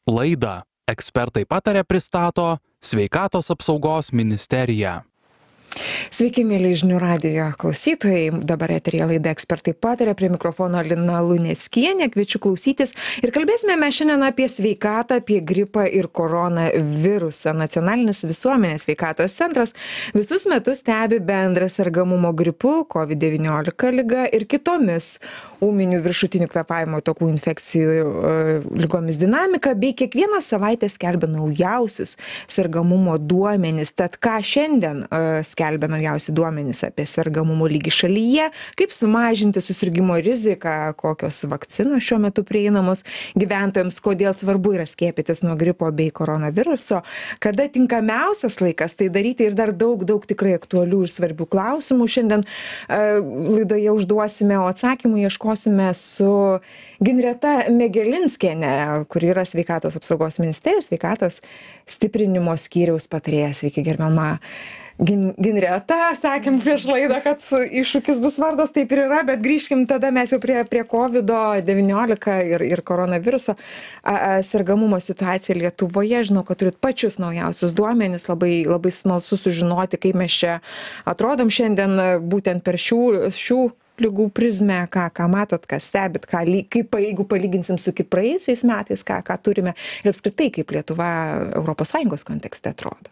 Laidą Ekspertai pataria pristato Sveikatos apsaugos ministerija. Sveiki, mėly žinių radijo klausytojai. Dabar eteryje laida Ekspertai pataria, prie mikrofono Lina Luneckienė. Kviečiu klausytis ir kalbėsime mes šiandien apie sveikatą, apie gripą ir koronavirusą. Nacionalinis visuomenės sveikatos centras visus metus stebi bendrą sergamumo gripu, COVID-19 liga ir kitomis ūminių viršutinių kvėpavimo takų infekcijų ligomis dinamiką, bei kiekvieną savaitę skelbia naujausius sergamumo duomenis. Tad ką šiandien skelbia naujausi duomenys apie sergamumo lygį šalyje, kaip sumažinti susirgimo riziką, kokios vakcinos šiuo metu prieinamos gyventojams, kodėl svarbu yra skiepytis nuo gripo bei koronaviruso, kada tinkamiausias laikas tai daryti ir dar daug tikrai aktualių ir svarbių klausimų. Šiandien laidoje užduosime, o atsakymų ieškosime su Ginreta Megelinskienė, kuri yra Sveikatos apsaugos ministerijos sveikatos stiprinimo skyriaus patarėja. Sveiki, gerbiama Ginreta, sakėm prieš laidą, kad iššūkis bus vardas, taip ir yra, bet grįžkim tada mes jau prie COVID-19 ir koronaviruso sergamumo situacija Lietuvoje. Žinau, kad turit pačius naujausius duomenis, labai smalsu sužinoti, kaip mes čia atrodom šiandien būtent per šių ligų prizmę, ką matot, ką stebit, kaip jeigu palyginsim su praėjusiais metais, ką turime ir apskritai kaip Lietuva ES kontekste atrodo.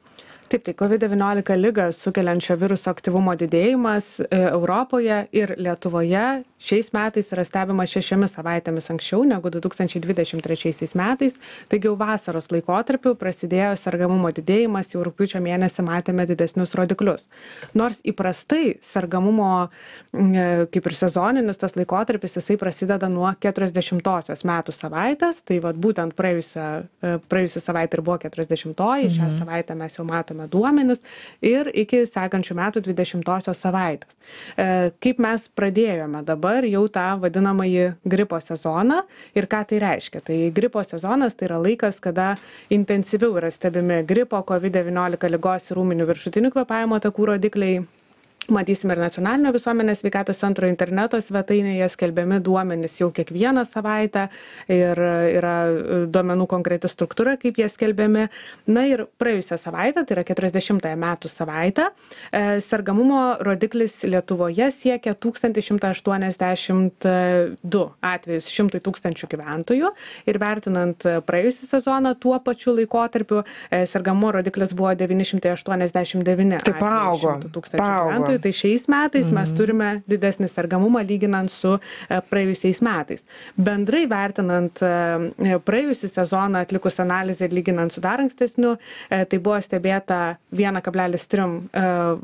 Taip, tai COVID-19 ligą sukeliančio viruso aktyvumo didėjimas Europoje ir Lietuvoje šiais metais yra stebimas 6 savaitėmis anksčiau negu 2023 metais. Taigi jau vasaros laikotarpiu prasidėjo sergamumo didėjimas, jau rugpjūčio mėnesį matėme didesnius rodiklius. Nors įprastai sergamumo, kaip ir sezoninis tas laikotarpis, jisai prasideda nuo 40-osios metų savaitės, tai vat būtent praėjusią savaitę ir buvo 40-oji, šią savaitę mes jau matome duomenis ir iki sekančių metų 20-osios savaitės. Kaip mes pradėjome dabar jau tą vadinamąjį gripo sezoną ir ką tai reiškia? Tai gripo sezonas tai yra laikas, kada intensyviau yra stebimi gripo, COVID-19 ligos ir ūminių viršutinių kvėpavimo takų rodikliai. Matysime ir Nacionalinio visuomenės sveikatos centro interneto svetainėje skelbiami duomenys jau kiekvieną savaitę ir yra duomenų konkreti struktūra, kaip jie skelbiami. Na ir praėjusią savaitę, tai yra 40-ąją metų savaitę, sergamumo rodiklis Lietuvoje siekia 1182 atvejus 100 000 gyventojų ir vertinant praėjusį sezoną tuo pačiu laikotarpiu sergamumo rodiklis buvo 989 atvejus 100 000 gyventojų. Tai šiais metais mes turime didesnį sergamumą lyginant su praėjusiais metais. Bendrai vertinant praėjusį sezoną atlikus analizę ir lyginant su dar ankstesniu, tai buvo stebėta 1,3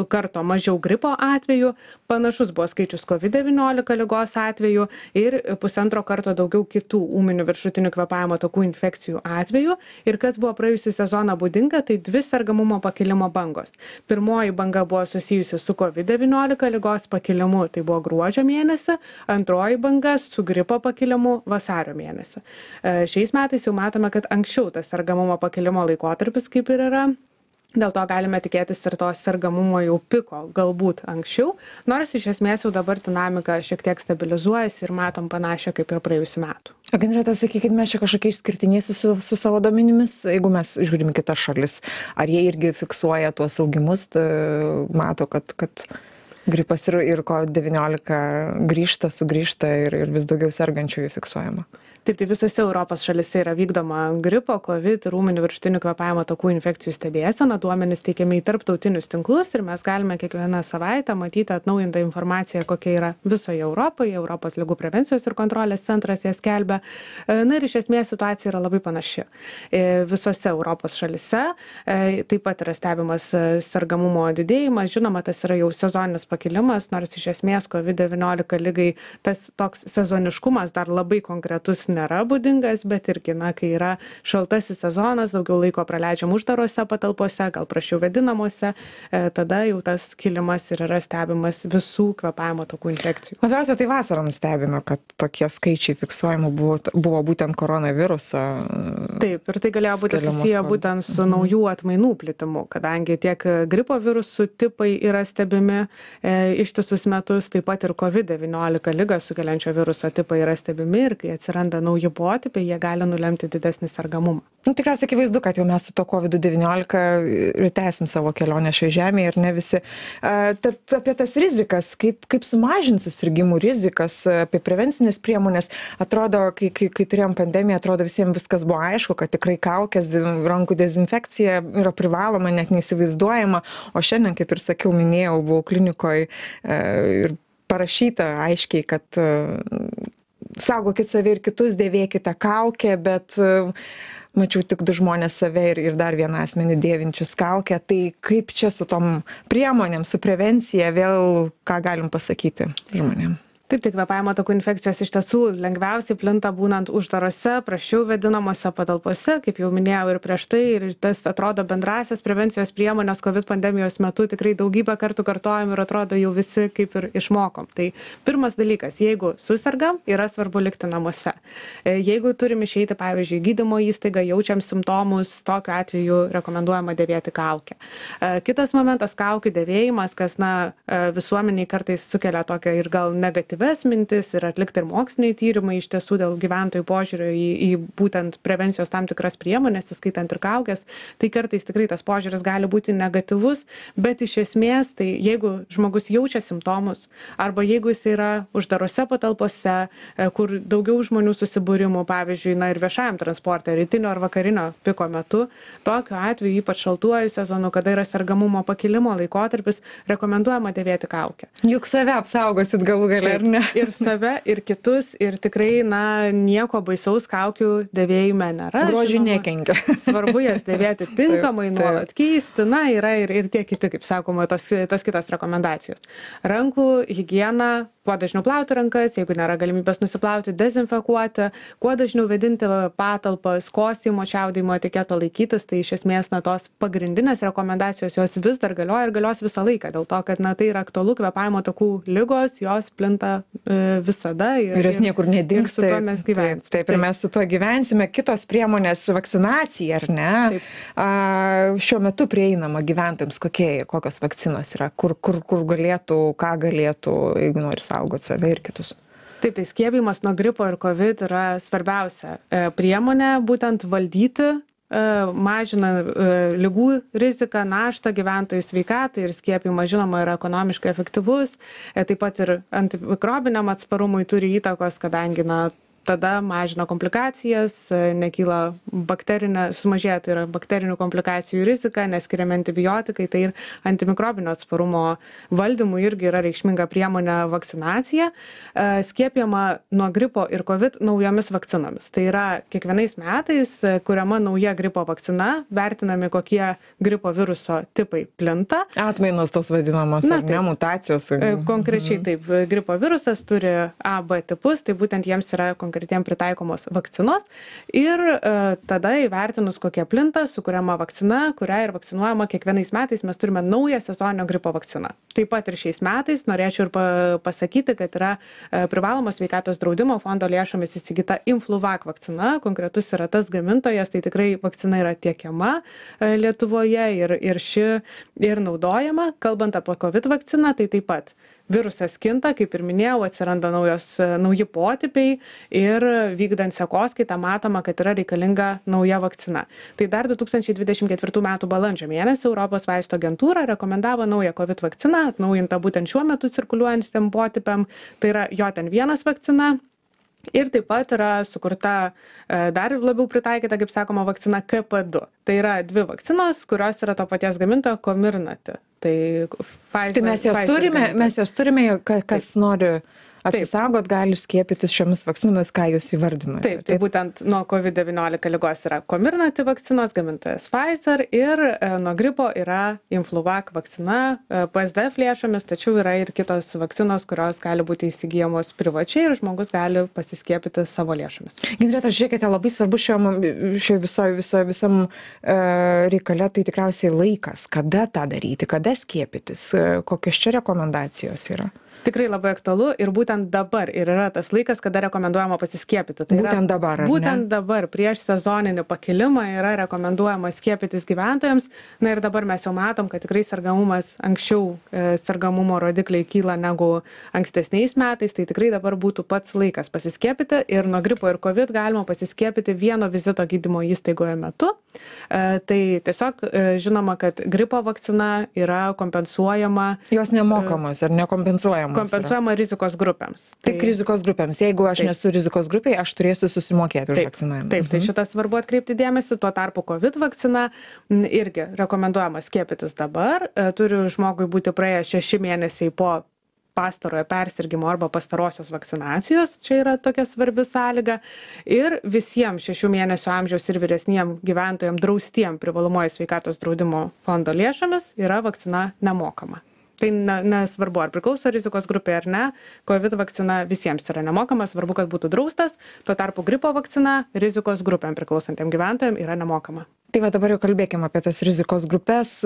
karto mažiau gripo atvejų, panašus buvo skaičius COVID-19 ligos atvejų ir 1,5 karto daugiau kitų ūminių viršutinių kvėpavimo takų infekcijų atvejų. Ir kas buvo praėjusį sezoną būdinga, tai 2 sergamumo pakilimo bangos. Pirmoji banga buvo susijusi su COVID-19 ligos pakilimu, tai buvo gruodžio mėnesį, antroji banga su gripo pakilimu vasario mėnesį. Šiais metais jau matome, kad anksčiau tas sergamumo pakilimo laikotarpis kaip ir yra. Dėl to galime tikėtis ir to sergamumo jau piko, galbūt anksčiau, nors iš esmės jau dabar dinamika šiek tiek stabilizuojasi ir matom panašią kaip ir praėjusių metų. Ginreta, sakykit, mes čia kažkokie išskirtiniai su savo duomenimis, jeigu mes žiūrim kitas šalis, ar jie irgi fiksuoja tuos augimus, mato, kad gripas ir COVID-19 sugrįžta ir vis daugiau sergančiųjų fiksuojama? Taip, tai visose Europos šalise yra vykdoma gripo, COVID ir ūminių viršutinių kvėpavimo takų infekcijų stebėsena. Duomenys teikiami į tarptautinius tinklus ir mes galime kiekvieną savaitę matyti atnaujintą informaciją, kokia yra visoje Europoje. Europos ligų prevencijos ir kontrolės centras ją skelbia. Na ir iš esmės situacija yra labai panaši. Visose Europos šalise taip pat yra stebimas sergamumo didėjimas. Žinoma, tas yra jau sezoninis pakilimas, nors iš esmės COVID-19 ligai tas toks sezoniškumas dar labai konkretus nėra būdingas, bet irgi, kai yra šaltasis sezonas, daugiau laiko praleidžiam uždarose patalpose, gal prašiau vėdinamuose, tada jau tas kilimas ir yra stebimas visų kvėpavimo takų infekcijų. Labiausiai tai vasarą nustebino, kad tokie skaičiai fiksuojami buvo būtent koronaviruso. Taip, ir tai galėjo būti susiję būtent su naujų atmainų plitimu, kadangi tiek gripo virusų tipai yra stebimi ištistus metus, taip pat ir COVID-19 ligą sukeliančio viruso tipai yra stebimi ir kai atsiranda nauji potipiai, jie gali nulemti didesnį sergamumą. Tikriausiai akivaizdu, kad jau mes su to COVID-19 ir tęsim savo kelionę šioje žemėje ir ne visi. Tad apie tas rizikas, kaip sumažins susirgimų rizikas, apie prevencinės priemonės, atrodo, kai turėjom pandemiją, atrodo visiems viskas buvo aišku, kad tikrai kaukės, rankų dezinfekcija yra privaloma, net neįsivaizduojama, o šiandien, kaip ir sakiau, minėjau, buvau klinikoje ir parašyta aiškiai, kad saugokit save ir kitus, dėvėkite kaukę, bet mačiau tik 2 žmonės save ir dar vieną asmenį dėvinčius kaukę. Tai kaip čia su tom priemonėm, su prevencija, vėl ką galim pasakyti žmonėm? Taip, tai kvėpavimo takų infekcijos iš tiesų lengviausiai plinta būnant uždarose, prasčiau vėdinamose patalpose, kaip jau minėjau ir prieš tai, ir tas atrodo bendrasias prevencijos priemonės COVID pandemijos metu tikrai daugybę kartų kartojam ir atrodo jau visi kaip ir išmokom. Tai pirmas dalykas, jeigu susergam, yra svarbu likti namuose. Jeigu turim išeiti, pavyzdžiui, gydymo įstaigą, jaučiam simptomus, tokiu atveju rekomenduojama dėvėti kaukę. Kitas momentas, kaukių dėvėjimas, kas visuomeniai kartais sukelia tokią ir gal negatyvią mintis ir atlikti ir moksliniai tyrimai iš tiesų dėl gyventojų požiūrio į būtent prevencijos tam tikras priemonės, įskaitant ir kaukės, tai kartais tikrai tas požiūris gali būti negatyvus, bet iš esmės, tai jeigu žmogus jaučia simptomus arba jeigu jis yra uždarose patalpose, kur daugiau žmonių susibūrimų, pavyzdžiui, ir viešajam transporte, rytinio ar vakarinio piko metu, tokiu atveju, ypač šaltuoju sezonu, kada yra sergamumo pakilimo laikotarpis, rekomenduojama dėvėti kaukę. Juk save apsaugosit galų gale, ar ne? Ir save, ir kitus, ir tikrai, nieko baisaus kaukių dėvėjime nėra. Grožiui nekenkia. Svarbu jas dėvėti tinkamai, nuolat keisti, yra ir tie kiti, kaip sakoma, tos kitos rekomendacijos. Rankų higiena, kuo dažniau plauti rankas, jeigu nėra galimybės nusiplauti, dezinfekuoti, kuo dažniau vėdinti patalpas, kostymo, čiaudėjimo etiketo laikytis, tai iš esmės tos pagrindinės rekomendacijos jos vis dar galioja ir galios visą laiką, dėl to, kad tai yra aktualu, kvėpavimo takų ligos, jos plinta visada ir jos niekur nedings. Ir su tuo mes gyvensime. Taip, ir mes su tuo gyvensime. Kitos priemonės, vakcinacija, ar ne? Šiuo metu prieinama gyventojams, kokios vakcinos yra, kur galėtų, ką galėtų, jeigu nori saugoti save ir kitus. Taip, tai skiepijimas nuo gripo ir COVID yra svarbiausia priemonė būtent valdyti, mažina ligų riziką, naštą gyventojų sveikatai ir skiepijimas, žinoma, yra ekonomiškai efektyvus, taip pat ir antimikrobiniam atsparumui turi įtakos, kadangi tada mažina komplikacijas, nekyla sumažėja, tai yra bakterinių komplikacijų rizika, neskiriami antibiotikai, tai ir antimikrobinio atsparumo valdymui irgi yra reikšminga priemonė vakcinacija. Skiepijama nuo gripo ir COVID naujomis vakcinomis. Tai yra kiekvienais metais kuriama nauja gripo vakcina, vertinami kokie gripo viruso tipai plinta. Atmainos tos vadinamos, mutacijos. Konkrečiai taip, gripo virusas turi A, B tipus, tai būtent jiems yra konkretiem pritaikomos vakcinos ir tada įvertinus, kokie plinta, sukuriama vakcina, kurią ir vakcinuojama kiekvienais metais mes turime naują sezoninio gripo vakciną. Taip pat ir šiais metais norėčiau ir pasakyti, kad yra privalomos sveikatos draudimo fondo lėšomis įsigyta Influvac vakcina, konkretus yra tas gamintojas, tai tikrai vakcina yra tiekiama Lietuvoje ir ši ir naudojama. Kalbant apie COVID vakciną, tai taip pat virusas kinta, kaip ir minėjau, atsiranda nauji potipiai ir vykdant sekoskaitą matoma, kad yra reikalinga nauja vakcina. Tai dar 2024 m. balandžio mėnesį Europos vaistų agentūra rekomendavo naują COVID vakciną, atnaujintą būtent šiuo metu cirkuliuojantiem potipiam, tai yra JN1 vakcina. Ir taip pat yra sukurta dar labiau pritaikyta, kaip sakoma, vakcina KP2. Tai yra 2 vakcinos, kurios yra to paties gamintojo Comirnaty. Tai mes jas turime, kas nori apsisaugot, gali skiepytis šiomis vakcinomis, ką jūs įvardinote. Taip, tai būtent nuo COVID-19 ligos yra Comirnaty vakcinos, gamintojas Pfizer ir nuo gripo yra Influvac vakcina PSDF lėšomis, tačiau yra ir kitos vakcinos, kurios gali būti įsigyjamos privačiai ir žmogus gali pasiskiepyti savo lėšomis. Ginreta, žiūrėkite, labai svarbu visam reikale, tai tikriausiai laikas, kada tą daryti, kada skiepytis, kokios čia rekomendacijos yra? Tikrai labai aktualu ir būtent dabar ir yra tas laikas, kada rekomenduojama pasiskiepyti. Tai būtent dabar, ar ne? Būtent dabar, prieš sezoninį pakilimą yra rekomenduojama skiepytis gyventojams. Na ir dabar mes jau matom, kad tikrai sergamumas anksčiau, sergamumo rodikliai kyla negu ankstesniais metais, tai tikrai dabar būtų pats laikas pasiskiepyti ir nuo gripo ir COVID galima pasiskiepyti vieno vizito gydymo įstaigoje metu. Tai tiesiog žinoma, kad gripo vakcina yra kompensuojama. Jos nemokamos ar nekompensuojamos? Kompensuojama rizikos grupėms. Tik rizikos grupėms. Jeigu aš nesu rizikos grupėje, aš turėsiu susimokėti už vakcinavimą. Taip, tai šitas svarbu atkreipti dėmesį. Tuo tarpu COVID vakcina irgi rekomenduojama skiepytis dabar. Turi žmogui būti praėję 6 mėnesiai po pastarojo persirgimo arba pastarosios vakcinacijos. Čia yra tokia svarbi sąlyga. Ir visiems 6 mėnesių amžiaus ir vyresniem gyventojams draustiem privalomojo sveikatos draudimo fondo lėšomis yra vakcina nemokama. Tai nesvarbu, ar priklauso rizikos grupė ar ne, COVID vakcina visiems yra nemokama, svarbu, kad būtų draustas, tuo tarpu gripo vakcina rizikos grupėm priklausantiem gyventojam yra nemokama. Tai va dabar jau kalbėkime apie tas rizikos grupės,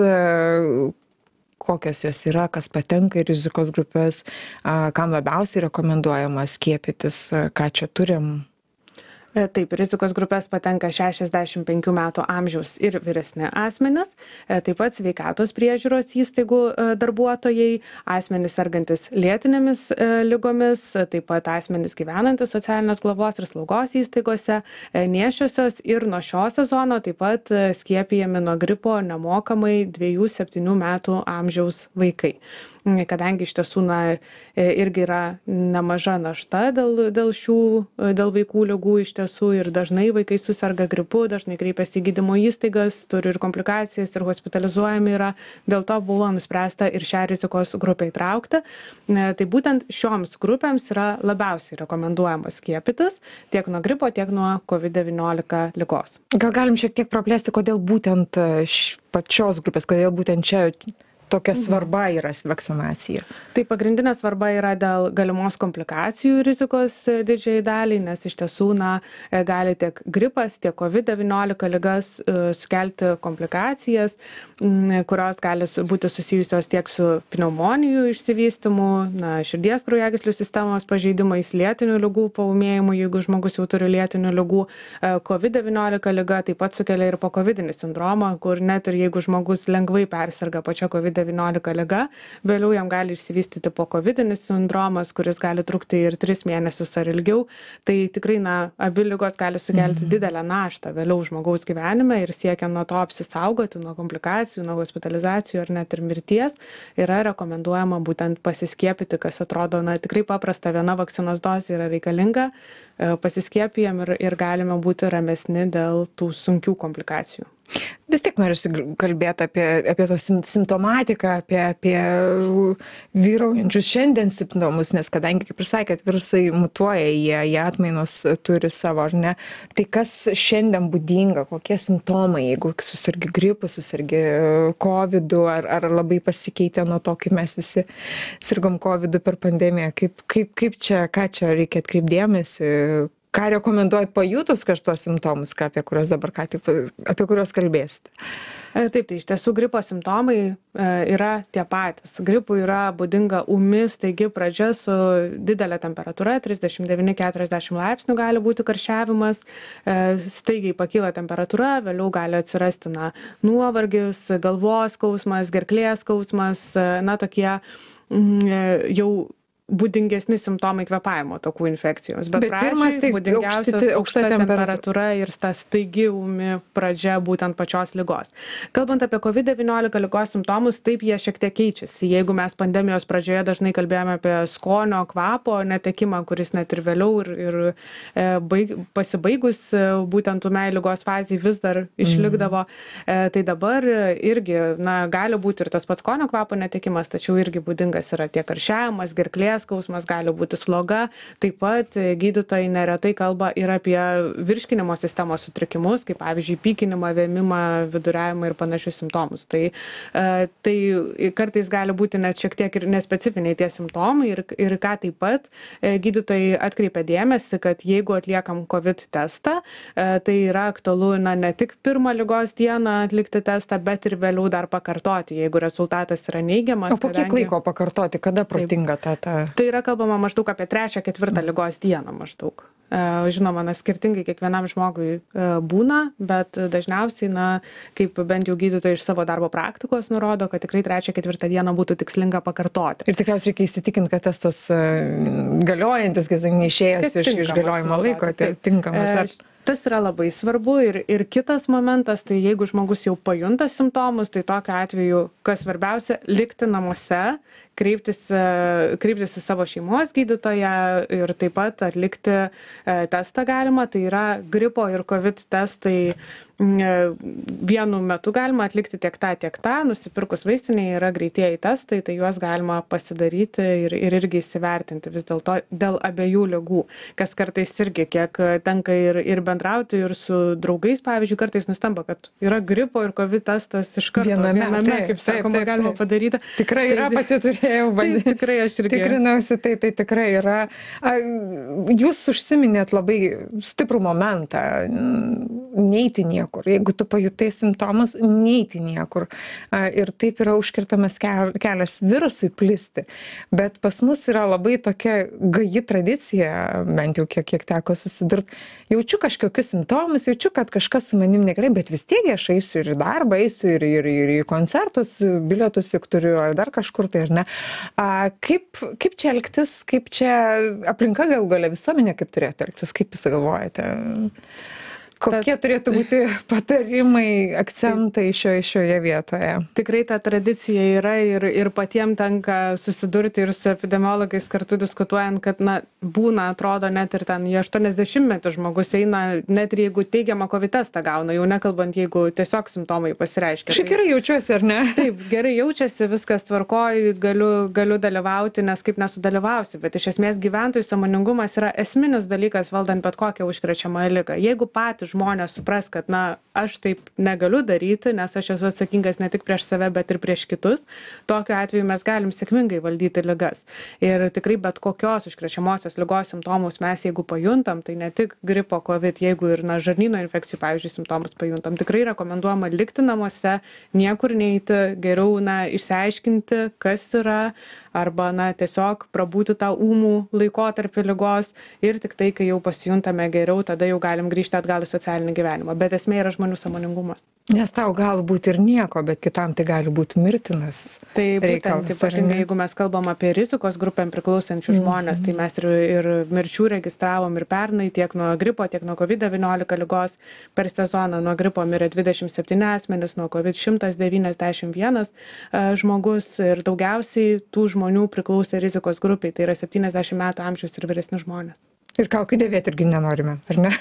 kokios jos yra, kas patenka į rizikos grupės, kam labiausiai rekomenduojama skiepytis, ką čia turim. Taip, rizikos grupės patenka 65 metų amžiaus ir vyresni asmenys, taip pat sveikatos priežiūros įstaigų darbuotojai, asmenys sergantis lėtinėmis ligomis, taip pat asmenys gyvenantis socialinės globos ir slaugos įstaigose, nėščiosios ir nuo šio sezono taip pat skiepijami nuo gripo nemokamai 2-7 metų amžiaus vaikai. Kadangi iš tiesų irgi yra nemaža našta dėl vaikų ligų iš tiesų ir dažnai vaikai suserga gripu, dažnai kreipiasi į gydymo įstaigas, turi ir komplikacijas ir hospitalizuojami yra, dėl to buvo nuspręsta ir šią rizikos grupę įtraukti. Tai būtent šioms grupėms yra labiausiai rekomenduojama skiepytis tiek nuo gripo, tiek nuo COVID-19 ligos. Gal galim šiek tiek praplėsti, kodėl būtent pačios grupės, kodėl būtent čia tokia svarba yra vakcinacija? Tai pagrindinė svarba yra dėl galimos komplikacijų rizikos didžiai daliai, nes iš tiesų gali tiek gripas, tiek COVID-19 ligas sukelti komplikacijas, kurios gali būti susijusios tiek su pneumonijų išsivystymu, širdies kraujagyslių sistemos pažeidimais, lėtinių ligų paūmėjimu, jeigu žmogus jau turi lėtinių ligų. COVID-19 liga taip pat sukelia ir pokovidinį sindromą, kur net ir jeigu žmogus lengvai persirga pačia COVID-19 liga, vėliau jam gali išsivystyti pokovidinis sindromas, kuris gali trukti ir 3 mėnesius ar ilgiau. Tai tikrai abi ligos gali sukelti didelę naštą vėliau žmogaus gyvenime ir siekiant nuo to apsisaugoti, nuo komplikacijų, nuo hospitalizacijų ar net ir mirties, yra rekomenduojama būtent pasiskiepyti, kas atrodo tikrai paprasta, viena vakcinos dozė yra reikalinga, pasiskiepijam ir galime būti ramesni dėl tų sunkių komplikacijų. Vis tiek norisi kalbėti apie tos simptomatiką, apie vyraujančius šiandien simptomus, nes kadangi, kaip ir sakėt, virusai mutuoja, jie atmainos turi savo, ar ne? Tai kas šiandien būdinga, kokie simptomai, jeigu susirgi gripu, susirgi COVIDu, ar labai pasikeitė nuo to, kaip mes visi sirgom COVIDu per pandemiją, kaip čia, ką čia reikia atkreipti dėmesį? Ką rekomenduojat pajutus kažtuos simptomus, apie kuriuos kalbėsite? Taip, tai iš tiesų gripo simptomai yra tie patys. Gripui yra būdinga ūmi, staigi pradžia su didelė temperatūra, 39-40 laipsnių gali būti karščiavimas, staigiai pakyla temperatūra, vėliau gali atsirasti nuovargis, galvos skausmas, gerklės skausmas, tokie jau būdingesni simptomai kvėpavimo takų infekcijos. Bet pradžiai būdingiausias aukšta temperatūra ir ta staigi ūmi pradžia būtent pačios ligos. Kalbant apie COVID-19 ligos simptomus, taip jie šiek tiek keičiasi. Jeigu mes pandemijos pradžioje dažnai kalbėjome apie skonio, kvapo netekimą, kuris net ir vėliau ir pasibaigus būtent ūmiai ligos fazei vis dar išlikdavo, tai dabar irgi gali būti ir tas pats skonio, kvapo netekimas, tačiau irgi būdingas yra tiek karščiavimas, gerklės skausmas, gali būti sloga. Taip pat gydytojai neretai kalba ir apie virškinimo sistemos sutrikimus, kaip pavyzdžiui pykinimą, vėmimą, viduriavimą ir panašius simptomus. Tai kartais gali būti net šiek tiek ir nespecifiniai tie simptomai ir ką taip pat gydytojai atkreipia dėmesį, kad jeigu atliekam COVID testą, tai yra aktualu ne tik pirmą ligos dieną atlikti testą, bet ir vėliau dar pakartoti, jeigu rezultatas yra neigiamas. O po kiek laiko pakartoti, kada protinga tą? Tai yra kalbama maždaug apie 3-4 ligos dieną maždaug. Žinoma, skirtingai kiekvienam žmogui būna, bet dažniausiai, kaip bent jau gydytojai iš savo darbo praktikos nurodo, kad tikrai 3-4 dieną būtų tikslinga pakartoti. Ir tikriausiai reikia įsitikinti, kad testas galiojantis, kaip sakė, neišėjęs iš galiojimo laiko, tai tinkamas. Tas yra labai svarbu ir kitas momentas, tai jeigu žmogus jau pajunta simptomus, tai tokiu atveju, kas svarbiausia, likti namuose, kreiptis į savo šeimos gydytoją ir taip pat atlikti testą galima, tai yra gripo ir COVID testai vienu metu galima atlikti tiek tą, nusipirkus vaistinėje yra greitieji testai, tai juos galima pasidaryti ir irgi įsivertinti vis dėlto dėl abiejų ligų, kas kartais irgi kiek tenka ir bendrauti ir su draugais, pavyzdžiui, kartais nustemba, kad yra gripo ir COVID testas iš karto viename, kaip sakoma, galima padaryti. Tikrai yra, pati turėjau bandyti. Taip, tikrai aš irgi. Tikrinausi, tai tikrai yra. Jūs užsiminėt labai stiprų momentą, neiti niekur. Jeigu tu pajutai simptomus, neiti niekur. Ir taip yra užkirtamas kelias virusui plisti. Bet pas mus yra labai tokia gaji tradicija, bent jau kiek teko susidurti. Jaučiu kažkokius simptomus, jaučiu, kad kažkas su manim negerai, bet vis tiek aš eisiu ir į darbą, eisiu ir į koncertus, bilietus juk turiu, ar dar kažkur tai, ar ne. Kaip čia elgtis, kaip čia aplinka galų gale visuomenė, kaip turėtų elgtis, kaip jūs galvojate? Kokie turėtų būti patarimai, akcentai šioje vietoje? Tikrai ta tradicija yra ir patiems tenka susidurti ir su epidemiologais kartu diskutuojant, kad būna, atrodo, net ir ten 80-metį žmogus eina, net ir jeigu teigiamą COVID testą gauna, jau nekalbant, jeigu tiesiog simptomai pasireiškia. Šiek gerai jaučiuosi, ar ne? Taip, gerai jaučiasi, viskas tvarkoj, galiu dalyvauti, nes kaip nesudalyvausi, bet iš esmės gyventojų sąmoningumas yra esminis dalykas valdant bet kokią užkrečiamąją ligą. Jeigu patys žmonės supras, kad aš taip negaliu daryti, nes aš esu atsakingas ne tik prieš save, bet ir prieš kitus, tokiu atveju mes galim sėkmingai valdyti ligas. Ir tikrai bet kokios užkrečiamosios ligos simptomus mes, jeigu pajuntam, tai ne tik gripo, COVID, jeigu ir žarnyno infekcijų, pavyzdžiui, simptomus pajuntam, tikrai rekomenduojama likti namuose, niekur neiti, geriau išsiaiškinti, kas yra, arba tiesiog prabūti tą ūmų laikotarpį ligos ir tik tai, kai jau pasijuntame geriau, tada jau galim grįžti atgal į socialinį gyvenimą. Bet esmė yra žmonių sąmoningumas. Nes tau gali būti ir nieko, bet kitam tai gali būti mirtinas. Tai būtent, ypatingai, jeigu mes kalbam apie rizikos grupėm priklausančių žmonės, tai mes ir mirčių registravom ir pernai tiek nuo gripo, tiek nuo COVID-19 ligos per sezoną. Nuo gripo mirė 27 asmenys, nuo COVID 191 žmogus ir daugiausiai tų žmonių priklausė rizikos grupiai, tai yra 70 metų amžiaus ir vyresni žmonės. Ir kaukių dėvėti irgi nenorime, ar ne?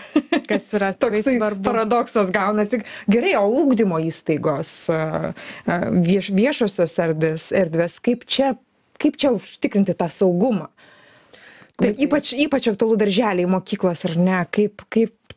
Kas yra toks paradoksas gaunasi. Gerai, o ugdymo įstaigos, viešosios erdvės, kaip čia užtikrinti tą saugumą? Taip, ypač aktualu darželiai, mokyklos, ar ne? Kaip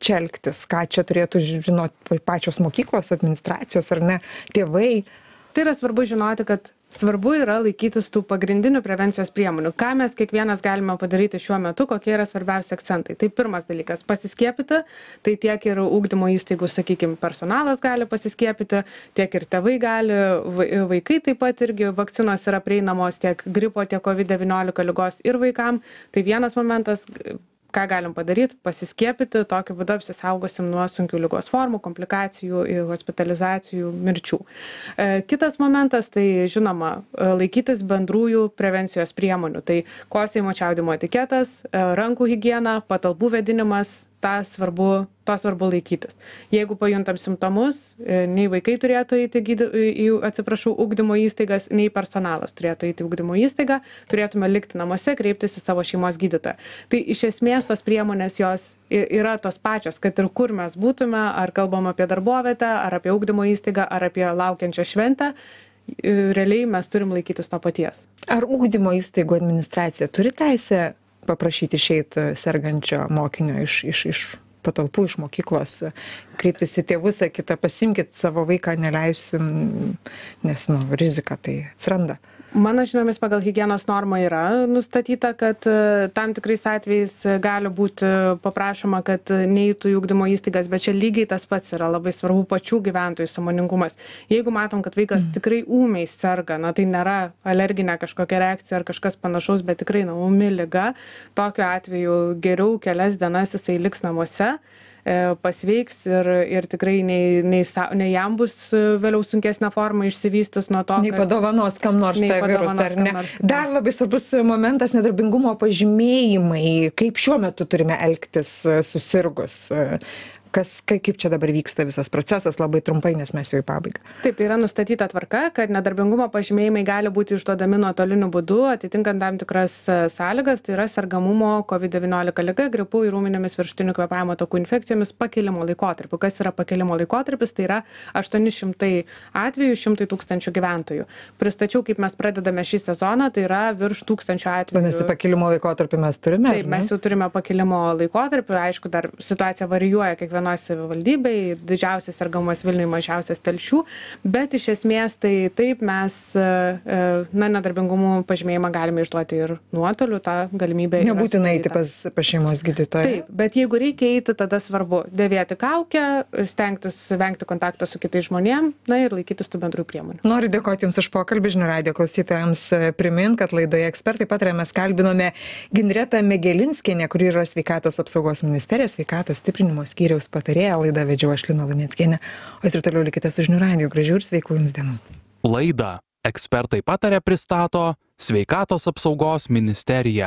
čia elgtis? Ką čia turėtų žinoti pačios mokyklos, administracijos, ar ne? Tėvai? Tai yra svarbu žinoti, kad svarbu yra laikytis tų pagrindinių prevencijos priemonių. Ką mes kiekvienas galime padaryti šiuo metu, kokie yra svarbiausi akcentai. Tai pirmas dalykas - pasiskiepyti, tai tiek ir ugdymo įstaigų, sakykime, personalas gali pasiskiepyti, tiek ir tėvai gali, vaikai taip pat irgi vakcinos yra prieinamos tiek gripo, tiek COVID-19 ligos ir vaikam. Tai vienas momentas, ką galim padaryti, pasiskiepyti, tokiu būdu apsisaugosim nuo sunkių ligos formų, komplikacijų, hospitalizacijų, mirčių. Kitas momentas, tai žinoma, laikytis bendrųjų prevencijos priemonių. Tai kosėjimo čiaudimo etiketas, rankų higiena, patalpų vėdinimas, to svarbu laikytis. Jeigu pajuntam simptomus, nei vaikai turėtų eiti į ugdymo įstaigas, nei personalas turėtų eiti į ugdymo įstaigą, turėtume likti namuose, kreiptis į savo šeimos gydytoją. Tai iš esmės tos priemonės jos yra tos pačios, kad ir kur mes būtume, ar kalbam apie darbovietę, ar apie ugdymo įstaigą, ar apie laukiančią šventę, realiai mes turim laikytis to paties. Ar ugdymo įstaigų administracija turi teisę paprašyti išeiti sergančio mokinio iš patalpų, iš mokyklos? kreiptis į tėvus, sakyti, pasimkit savo vaiką, neleisim, nes, rizika tai atsiranda. Mano žiniomis pagal higienos normą yra nustatyta, kad tam tikrais atvejais gali būti paprašoma, kad neįtų į ugdymo įstaigas, bet čia lygiai tas pats yra labai svarbu pačių gyventojų sąmoningumas. Jeigu matom, kad vaikas tikrai ūmiai serga, tai nėra alerginė kažkokia reakcija ar kažkas panašaus, bet tikrai ūmi liga, tokiu atveju geriau kelias dienas jisai liks namuose, pasveiks ir tikrai nei jam bus vėliau sunkesnė forma išsivystys nuo to, nei padovanos kam nors tą virusą, ar ne? Dar labai svarbus momentas nedarbingumo pažymėjimai. Kaip šiuo metu turime elgtis susirgus? Kaip čia dabar vyksta visas procesas, labai trumpai, nes mes jau į pabaigą. Taip, tai yra nustatyta tvarka, kad nedarbingumo pažymėjimai gali būti išduodami nuotoliniu būdu, atitinkant tam tikras sąlygas, tai yra sergamumo COVID-19 liga, gripu ir ūminėmis viršutinių kvėpavimo takų infekcijomis pakilimo laikotarpiu. Kas yra pakilimo laikotarpis? Tai yra 800 atvejų, 100 000 gyventojų. Pristačiau, kaip mes pradedame šį sezoną, tai yra virš 1000 atvejų. Vadinasi, pakilimo laikotarpį mes turime? Taip, mes jau turime pakilimo laikotarpį, aišku, dar situacija varijuoja kiekvienoje savivaldybėje, didžiausias sergamumas Vilniuje, mažiausias Telšių, bet iš esmės tai taip mes nedarbingumo pažymėjimą galime išduoti ir nuotoliu, tą galimybę. Nebūtinai eiti pas šeimos gydytoją. Taip, bet jeigu reikia eiti, tada svarbu dėvėti kaukę, stengtis vengti kontakto su kitais žmonėm, ir laikytis tų bendrų priemonių. Noriu dėkoti Jums už pokalbį, žinių radijo klausytojams primint, kad laidoje Ekspertai pataria mes kalbinome Ginretą Megelinskienę, kuri yra Sveikatos apsaugos ministerijos sveikatos stiprinimo skyriaus patarėja. Laidą vedžiau aš, Lina Luneckienė, o jūs ir toliau likite su žinių radiju. Gražių ir sveikų Jums dienų. Laidą Ekspertai pataria pristato Sveikatos apsaugos ministerija.